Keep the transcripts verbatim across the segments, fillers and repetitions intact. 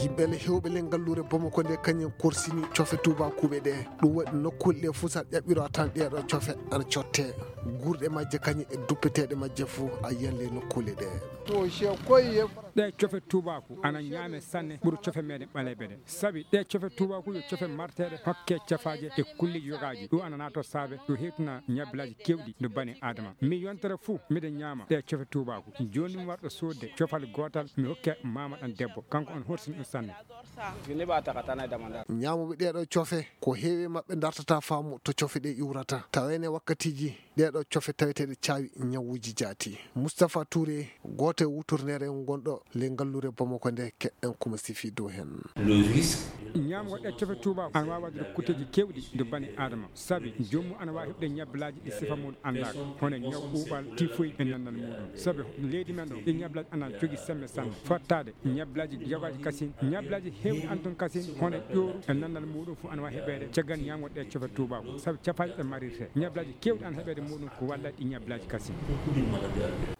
Yimɓe le hewɓe le ngalluure Bamako nde kañum korsini cofe tubakuuɓe ɗe. Ɗum waɗi nokkuule ɗe fof, so a ƴaɓɓiro a tan ɗeeɗo cofe ana cotte. Guurɗe majje kañum e duppeteeɗe majje fof a yiyan le nokkuule ɗe. Ɗe cofe tuubaaku ana ñaame sanne ɓuri cofe meɗen ɓaleeɓe ɗe. Sabi ɗe cofe tuubaaku yo cofe marteeɗe hokke cafaaje e kulliiji yogaaji. Ɗum ana naato saabe ɗum hewtina ñabbilaaji keewɗi no bani Aadama. Mi yontere fuu miɗen ñaama ɗe cofe tuubaaku. Jooni mi warɗo soodde cofal gootal mi hokke maama ɗan debbo. Kanko on horsini ɗum sanne. Ñaamuɓe ɗeeɗo cofe ko heewi maɓɓe dartata faamu to cofe ɗe iwrata. Tawene wakkatiiji ɗeeɗo cofe taweteeɗe caawi ñawuuji jaati. Mustapha Touré, gooto e wutorneere ngonɗo le ngalluure Bamako nde, keɗɗen kuma sifi dow heen. Ñaamgo ɗe cofe tuubaaku ana waawi waɗude kuteeji keewɗi nde bani Aadama. Sabi joomum ana waawi heɓde ñabbilaaji ɗi sifa mum anndaaka, hono ñaw ɓuuɓal, tifoy e nannal muuɗum. Sabi leydi men ɗo ɗi ñabbilaaji ana jogii semme sanne. Fottaade ñabbilaaji yogaaji kasin, ñabbilaaji heewɗi ana toon kasin, hono ƴooru e nannal muuɗum fof ana waawi heɓeede caggal ñaamgo ɗe cofe tuubaaku. Sabi cafaaji ɗe marirte, ñabbilaaji keewɗi ana heɓeede muuɗum ko walla ɗi ñabbilaaji kasin.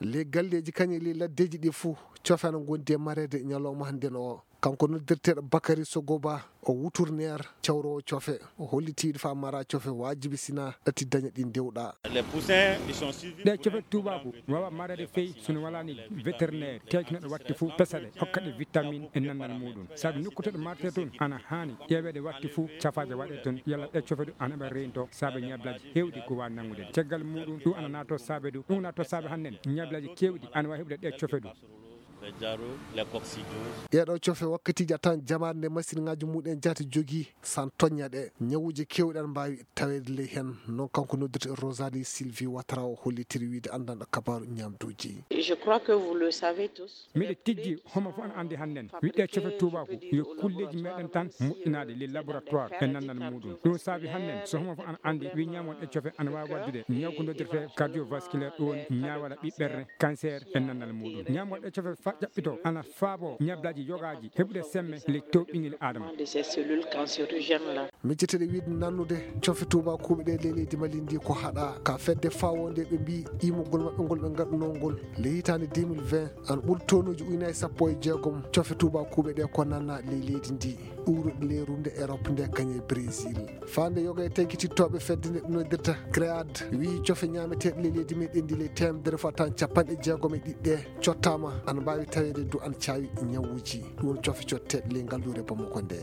Le galleeji kañum le laddeeji ɗi fof cofe ana ngondi e mareede ñalawma hannden o. Kanko noddirteeɗo Bakary Sogoba, o wutorneer cawroowo cofe, o holliti ɗo faa mara cofe waajibi sina ɗati daña ɗi ndewɗa. Ɗe cofe tuubaaku waawa mareede fey sino walaani vétérinaire teekinooɗo watti fof pesa ɗe, hokka ɗe vitamine e nannal muuɗum. Sabi nokku to ɗe martee toon ana haani ƴeeweede watti fof cafaaje waɗee toon, yalla ɗe cofe ɗum ana heɓa reynto saabe ñabbilaaji heewɗi ko waawi nanngude. Caggal muuɗum ɗum ana naato saabe ɗum, ɗum naato saabe hannden ñabbilaaji keewɗi ana waawi heɓude ɗe cofe ɗum. Ɗeeɗo cofe wakkatiiji a tawan jamaare nde masinŋaaji mumen jaati jogii, san toñña ɗe, ñawuuji keewɗi ana mbaawi taweede ley heen. Noon kanko noddirte Rosalie Sylvie Ouattara o hollitiri wiyde anndanɗo kabaaru ñaamduuji. Miɗo tijji homo fof ana anndi hannden wiɗɗe cofe tuubaaku yo kulleeji meɗen tan moƴƴinaade les laboratoires e nannal muuɗum. Ɗum saabi hannden so homo fof ana anndi wi ñaamon ɗe cofe ana waawi waɗdude ñaw ko noddirte cardiovasculaire, ɗum woni ñaawala ɓiɓɓerre, cancer e nannal muuɗum. Ñaamon ɗe cofe fa ƴaɓɓito ana faabo ñablaaji yogaaji heɓude semme ley tew ɓingel Aadama. Micceteeɗe wiyde nannude cofe tuubakuuɓe ɗe ley leydi Mali ndi ko haɗa ka fedde fawonde ɓe mbi imugol maɓɓe ngol ɓe ngaɗunoo ngol le hitaande deux mille vingt ana ɓuri tonuuji ujunaaji sappo e jeegom cofe tuubakuuɓe ɗe ko nanna ley leydi ndi. Ɗuuruɗe ley rumde Erop nde kañe Brésil. Fande yoga e tenkitittooɓe fedde nde ɗum noddirta Cread wi cofe ñaameteeɗe ley leydi meɗen ndi ley teemedere fo tan capanɗe jeegom e ɗiɗi ɗe cottama ana mbaawi taweede du ana caawi ñawuuji. Ɗum cofe cotteeɗe ley ngalluure Bamako nde.